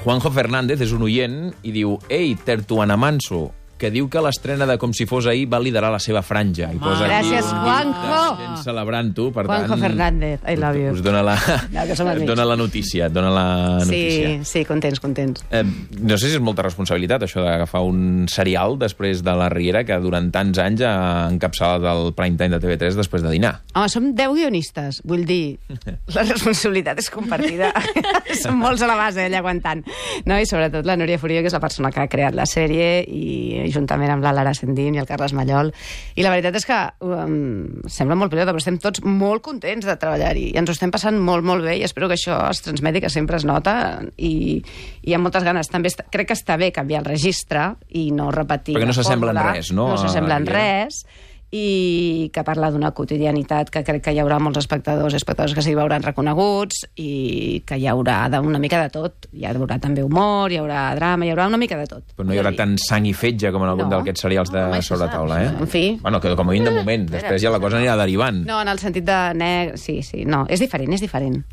Juanjo Fernández és un oient i diu: ei, Tertuana Manso, que diu que l'estrena de Com si fos ahir va liderar la seva franja. I posa gràcies, aquí Juanjo! gent celebrant-ho, per Juanjo tant... Fernández, I love you. Us dona la, No, que som amics. dona la notícia, Sí, contents. No sé si és molta responsabilitat, això d'agafar un serial després de la Riera que durant tants anys ha encapçalat el prime time de TV3 després de dinar. Home, som 10 guionistes, vull dir, la responsabilitat és compartida. Som molts a la base, allà aguantant. No? I sobretot la Núria Furio, que és la persona que ha creat la sèrie, i juntament amb la Lara Sendín i el Carles Mallol. I la veritat és que sembla molt pilota, però estem tots molt contents de treballar-hi i ens ho estem passant molt, molt bé i espero que això es transmeti, que sempre es nota i amb moltes ganes. També crec que està bé canviar el registre i no repetir perquè no s'assembla en res, no? No s'assembla en res, i que parla d'una quotidianitat que crec que hi haurà molts espectadors i espectadors que s'hi veuran reconeguts i que hi haurà una mica de tot. Hi haurà també humor, hi haurà drama, hi haurà una mica de tot. Però no hi haurà tant sang i fetge com en algun d'aquests serials de sobretaula, eh? En fi. Bueno, que com a mínim de moment, després ja la cosa anirà derivant. No, en el sentit de negre... Sí, no, és diferent.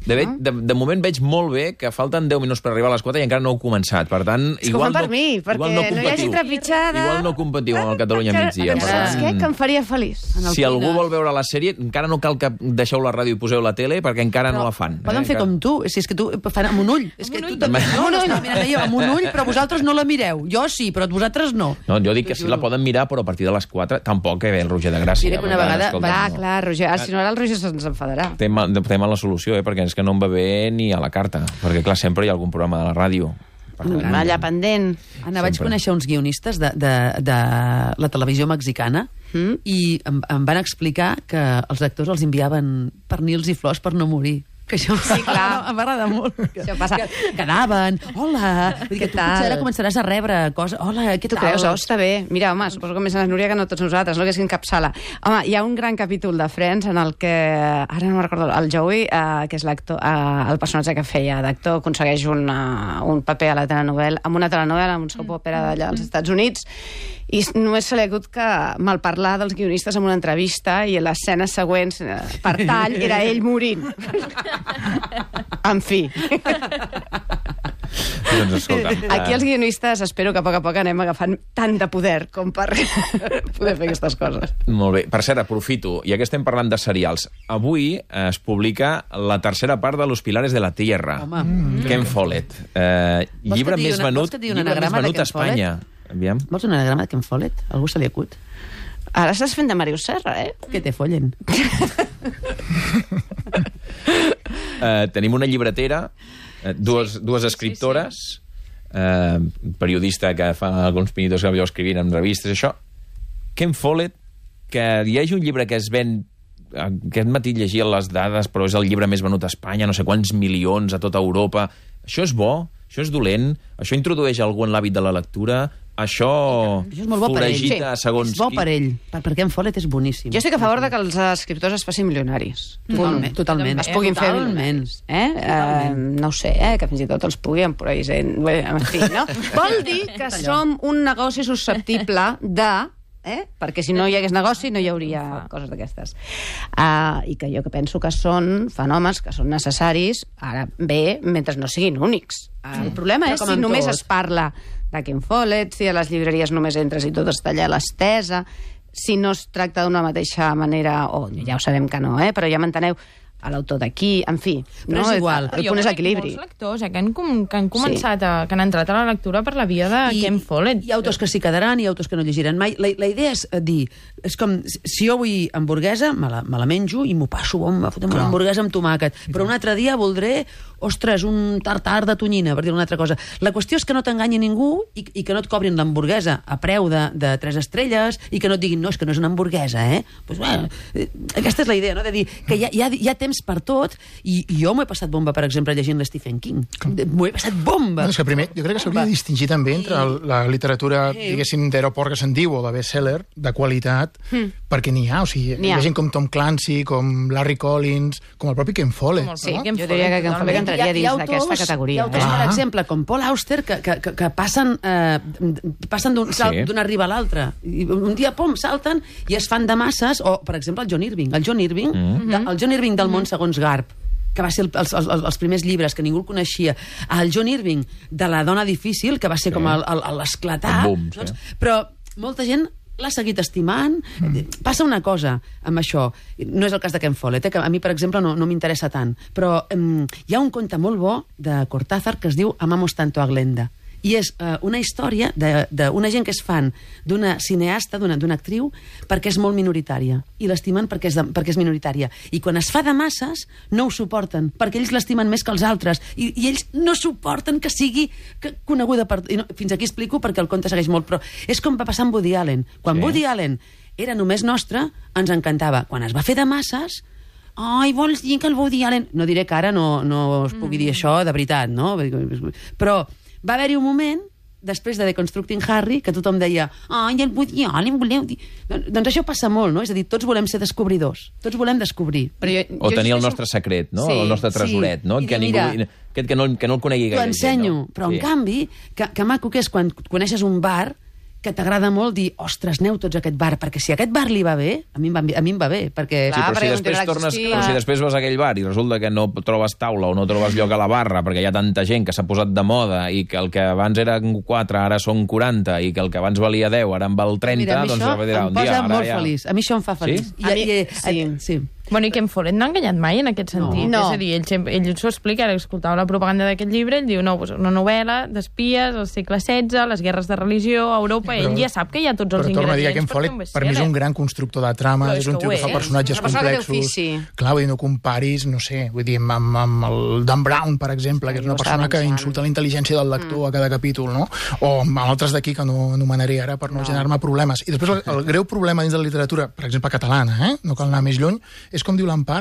De moment veig molt bé que falten 10 minuts per arribar a les 4 i encara no heu començat. Per tant, és que ho fan per mi, perquè no hi hagi trepitjada. Igual no competiu amb el Catalunya migdia. Saps què? Que em faria feliç. Si algú vol veure la sèrie, encara no cal que deixeu la ràdio i poseu la tele, perquè encara no la fan. Poden fer com tu, si és que tu fan amb un ull. És que tu també... Amb un ull, però vosaltres no la mireu. Jo sí, però vosaltres no. No, jo dic que sí la poden mirar, però a partir de les 4 tampoc que ve el Roger de Gràcia. Diré que una vegada... Clar, Roger. Si no, ara el Roger se'ns enfadarà. Té mala solució, perquè és que no em va bé ni a la carta. Perquè, clar, sempre hi ha algun programa de la ràdio. Allà pendent. Anna, vaig conèixer uns guionistes de la televisió mexicana i em van explicar que els actors els enviaven pernils i flors per no morir. Que això sí, clar. M'agrada molt. Això passa. Que anaven, hola, vull dir que tu potser ara començaràs a rebre coses, hola, què tal? Tu creus? Està bé. Mira, home, suposo que més a la Núria que no tots nosaltres, no? Que és encapçala. Home, hi ha un gran capítol de Friends en el que, ara no me'n recordo, el Joey, que és l'actor, el personatge que feia d'actor, aconsegueix un paper a la telenovel·la, amb una telenovel·la, amb un soap opera d'allà als Estats Units, i només se li ha hagut que malparlar dels guionistes en una entrevista i les escenes següents, per tall, era ell morint. En fi. Doncs escolta. Aquí els guionistes espero que a poc anem agafant tant de poder com per poder fer aquestes coses. Molt bé. Per cert, aprofito, ja que estem parlant de serials, avui es publica la tercera part de Los Pilares de la Tierra. Ken Follett. Llibre més venut a Espanya. Aviam. Vols un anagrama de Ken Follett? Algú se li acut? Ara estàs fent de Màrius Serra, eh? Que te follen. Tenim una llibretera, dues escriptores, periodista que fa alguns pinitos que vau escrivint en revistes, això. Ken Follett, que hi hagi un llibre que es ven... Aquest matí llegia les dades, però és el llibre més venut a Espanya, no sé quants milions a tota Europa. Això és bo? Això és dolent? Això introdueix algú en l'hàbit de la lectura? Això és molt bo per ell. Segons és bo per ell, perquè en Follett és boníssim. Jo estic a favor de que els escriptors es facin milionaris. Totalment. Es puguin fer milionaris. No ho sé, que fins i tot els puguin por ahí. En fi, no? Vol dir que som un negoci susceptible de... perquè si no hi hagués negoci no hi hauria coses d'aquestes. I que jo que penso que són fenòmens que són necessaris, ara bé, mentre no siguin únics. El problema és si només es parla de Ken Follett, si a les llibreries només entres i tot està allà a l'estesa, si no es tracta d'una mateixa manera, ja ho sabem que no, però ja m'enteneu, a l'autor d'aquí, en fi. Però és igual. El punt és l'equilibri. Molts lectors que han començat, que han entrat a la lectura per la via de Ken Follett. Hi ha autors que s'hi quedaran i autors que no llegiran mai. La idea és dir, és com, si jo vull hamburguesa, me la menjo i m'ho passo bomba, fotem una hamburguesa amb tomàquet. Però un altre dia voldré, ostres, un tartar de tonyina, per dir una altra cosa. La qüestió és que no t'enganyi ningú i que no et cobrin l'hamburguesa a preu de 3 estrelles i que no et diguin, no, és que no és una hamburguesa, Pues, bueno, aquesta és la idea, no? De dir que hi ha temps per tot, i jo m'ho he passat bomba, per exemple, llegint l'Stephen King. M'ho he passat bomba! És que primer, jo crec que s'hauria de distingir també entre la literatura, diguéssim, d'aeroport que se'n diu, o de best-seller, de qualitat, perquè n'hi ha, o sigui, hi ha gent com Tom Clancy, com Larry Collins, com el propi Ken Follett. Sí, jo diria que Ken Follett entraria dins d'aquesta categoria. Hi ha autors, per exemple, com Paul Auster, que passen d'una riba a l'altra. Un dia, pom, salten i es fan de masses, o, per exemple, el John Irving. El John Irving del món segons Garp. que va ser els primers llibres, que ningú el coneixia, al John Irving, de La dona difícil, que va ser com l'esclatar. El boom, sí. Però molta gent l'ha seguit estimant. Passa una cosa amb això. No és el cas de Ken Follett, que a mi, per exemple, no m'interessa tant. Però hi ha un conte molt bo de Cortázar que es diu Amamos tanto a Glenda. I és una història d'una gent que és fan d'una cineasta, d'una actriu, perquè és molt minoritària. I l'estimen perquè és minoritària. I quan es fa de masses, no ho suporten, perquè ells l'estimen més que els altres. I ells no suporten que sigui coneguda per... Fins aquí explico perquè el conte segueix molt, però és com va passar amb Woody Allen. Quan Woody Allen era només nostre, ens encantava. Quan es va fer de masses... Ai, vols dir que el Woody Allen... No diré que ara no es pugui dir això de veritat, no? Però va haver-hi un moment, després de Deconstructing Harry, que tothom deia ai, el Woody Allen, voleu dir... Doncs això passa molt, no? És a dir, tots volem ser descobridors. Tots volem descobrir. O tenir el nostre secret, no? El nostre tresoret, no? Que no el conegui gaire. T'ho ensenyo, però en canvi, que maco que és quan coneixes un bar que t'agrada molt dir, ostres, aneu tots a aquest bar, perquè si a aquest bar li va bé, a mi em va bé, perquè... Sí, però si després vas a aquell bar i resulta que no trobes taula o no trobes lloc a la barra perquè hi ha tanta gent que s'ha posat de moda i que el que abans eren 4 ara són 40 i que el que abans valia 10 ara en val 30, mira, doncs a mi això em posa molt feliç. A mi això em fa feliç. Sí? Bueno, i Ken Follett no ha enganyat mai en aquest sentit. No. És a dir, ell s'ho explica, ara escoltava la propaganda d'aquest llibre, ell diu, no, una novel·la d'espies al segle XVI, les guerres de religió, a Europa, ell ja sap que hi ha tots els ingredients. Però torno a dir que Ken Follett, per mi és un gran constructor de trama, és un tio que fa personatges complexos. Clar, vull dir, no comparis, no sé, vull dir, amb el Dan Brown, per exemple, que és una persona que insulta la intel·ligència del lector a cada capítol, no? O amb altres d'aquí que no anomenaré ara per no generar-me problemes. I després el greu problema dins de la literatura, per exemple, catalana, no cal anar més lluny, és com diu l'Empar,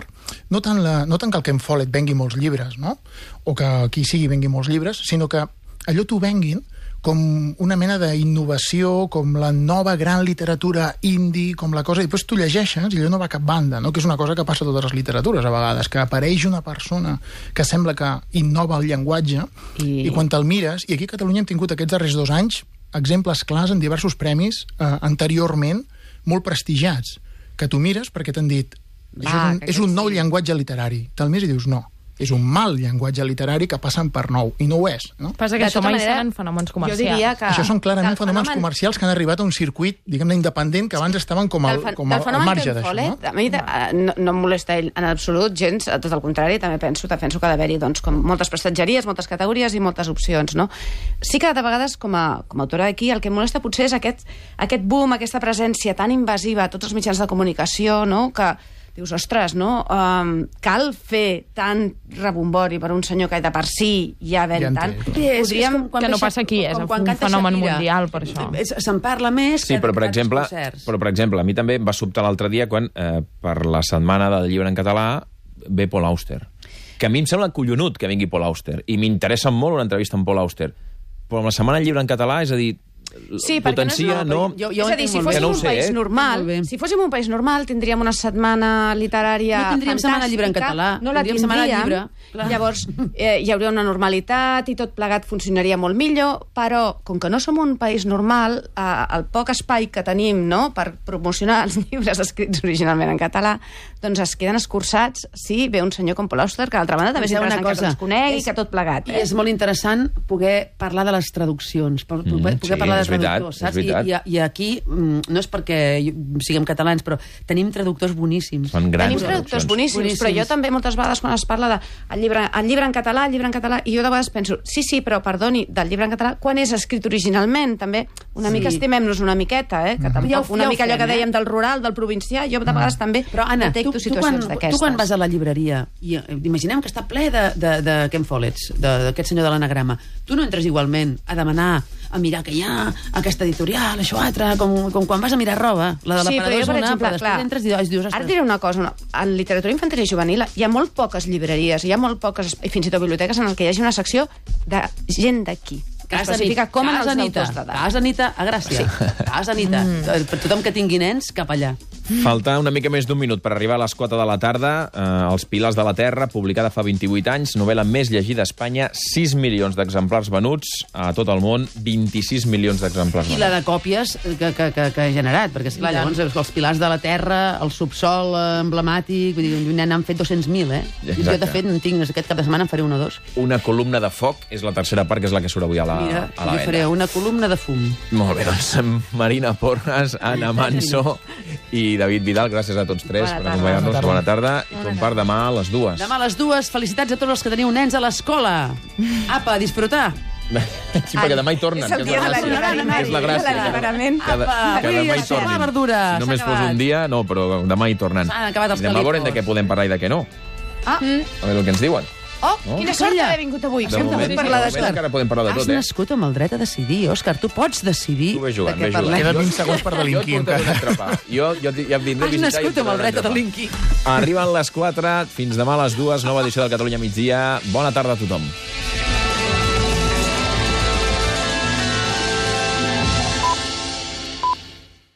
no tant que el Ken Follett vengui molts llibres, no? O que qui sigui vengui molts llibres, sinó que allò t'ho venguin com una mena d'innovació, com la nova gran literatura indie, com la cosa... I després tu llegeixes i allò no va a cap banda, no? Que és una cosa que passa a totes les literatures, a vegades, que apareix una persona que sembla que innova el llenguatge i quan te'l mires... I aquí a Catalunya hem tingut aquests darrers 2 anys exemples clars en diversos premis anteriorment molt prestigiats, que tu mires perquè t'han dit és un nou llenguatge literari. Te'l mires i dius no. És un mal llenguatge literari que passen per nou, i no ho és. No? Passa que això mai seran fenòmens comercials. Jo diria que... Això són clarament fenòmens comercials que han arribat a un circuit, diguem-ne, independent, que abans estaven com al marge d'això. No? A mi no em molesta ell en absolut, gens, tot el contrari, també penso que ha d'haver-hi doncs, com moltes prestatgeries, moltes categories i moltes opcions. No? Sí que de vegades, com a autora d'aquí, el que em molesta potser és aquest boom, aquesta presència tan invasiva a tots els mitjans de comunicació, no? Que dius, ostres, no? Cal fer tant rebombori per un senyor que de per si ja ven tant. Que no passa aquí, és un fenomen mundial per això. Se'n parla més que per exemple, a mi també em va sobtar l'altre dia quan per la setmana del llibre en català ve Paul Auster. Que a mi em sembla collonut que vingui Paul Auster i m'interessa molt una entrevista amb Paul Auster. Però amb la setmana del llibre en català, és a dir, sí, potencia, no... És a dir, si fóssim un país normal, si fóssim un país normal, tindríem una setmana literària fantàstica. No tindríem setmana llibre en català. No la tindríem. Llavors, hi hauria una normalitat i tot plegat funcionaria molt millor, però, com que no som un país normal, el poc espai que tenim, no?, per promocionar els llibres escrits originalment en català, doncs es queden escurçats si ve un senyor com Paul Auster, que d'altra banda també és interessant que els conegui, que tot plegat. I és molt interessant poder parlar de les traduccions, poder parlar de traductors, saps? I aquí, no és perquè siguem catalans, però tenim traductors boníssims. Tenim traductors boníssims, però jo també moltes vegades quan es parla de el llibre en català, i jo de vegades penso, sí, però perdoni, del llibre en català, quan és escrit originalment? També una mica estimem-nos una miqueta, que tampoc una mica allò que dèiem del rural, del provincià, jo de vegades també detecto situacions d'aquestes. Tu quan vas a la llibreria, i imaginem que està ple de Ken Follett, d'aquest senyor de l'anagrama, tu no entres igualment a demanar, a mirar que hi ha aquesta editorial, això altre, com quan vas a mirar roba, la de l'aparador és una, però després entres i dius... Ara et diré una cosa, en literatura infantil i juvenil hi ha molt poques llibreries, hi ha molt poques, i fins i tot biblioteques en què hi hagi una secció de gent d'aquí. Casa Anita, a Gràcia. Casa Anita, per tothom que tingui nens, cap allà. Falta una mica més d'un minut per arribar a les 4 de la tarda. Els Pilars de la Terra, publicada fa 28 anys, novel·la més llegida a Espanya, 6 milions d'exemplars venuts a tot el món, 26 milions d'exemplars I venuts. la de còpies que ha generat, perquè, esclar, llavors els Pilars de la Terra, el subsol emblemàtic, vull dir, n'han fet 200.000, Exacte. Jo, de fet, en tinc, aquest cap de setmana en faré una o dos. Una columna de foc és la tercera part, que és la que surt avui a la Mira, venda. jo faré una columna de fum. Molt bé, doncs Marina Porras, Anna Manso i David Vidal, gràcies a tots tres per acompanyar-nos. Bona tarda. I com per demà a les 2. Demà a les 2, felicitats a tots els que teniu nens a l'escola. Apa, a disfrutar. Sí, perquè demà hi tornen, que és la gràcia. És la gràcia. Que demà hi tornin. Verdura. Si només fos un dia, no, però demà hi tornen. S'han acabat els Demà veurem de calitos. què podem parlar i de què no. Ah, A veure el que ens diuen. oh, No? quina sort haver vingut avui. De moment, encara podem parlar de Has tot, nascut amb el dret a decidir, Òscar. Tu pots decidir Tu ve jugant, de què ve jugant. parlem. Queden 20 segons per delinquir, Jo et portaré un encara. entrepà. Jo ja vindré a Has visitar i nascut amb el dret a delinquir. Arriben les 4, fins demà a les 2, nova edició del Catalunya Migdia. Bona tarda a tothom.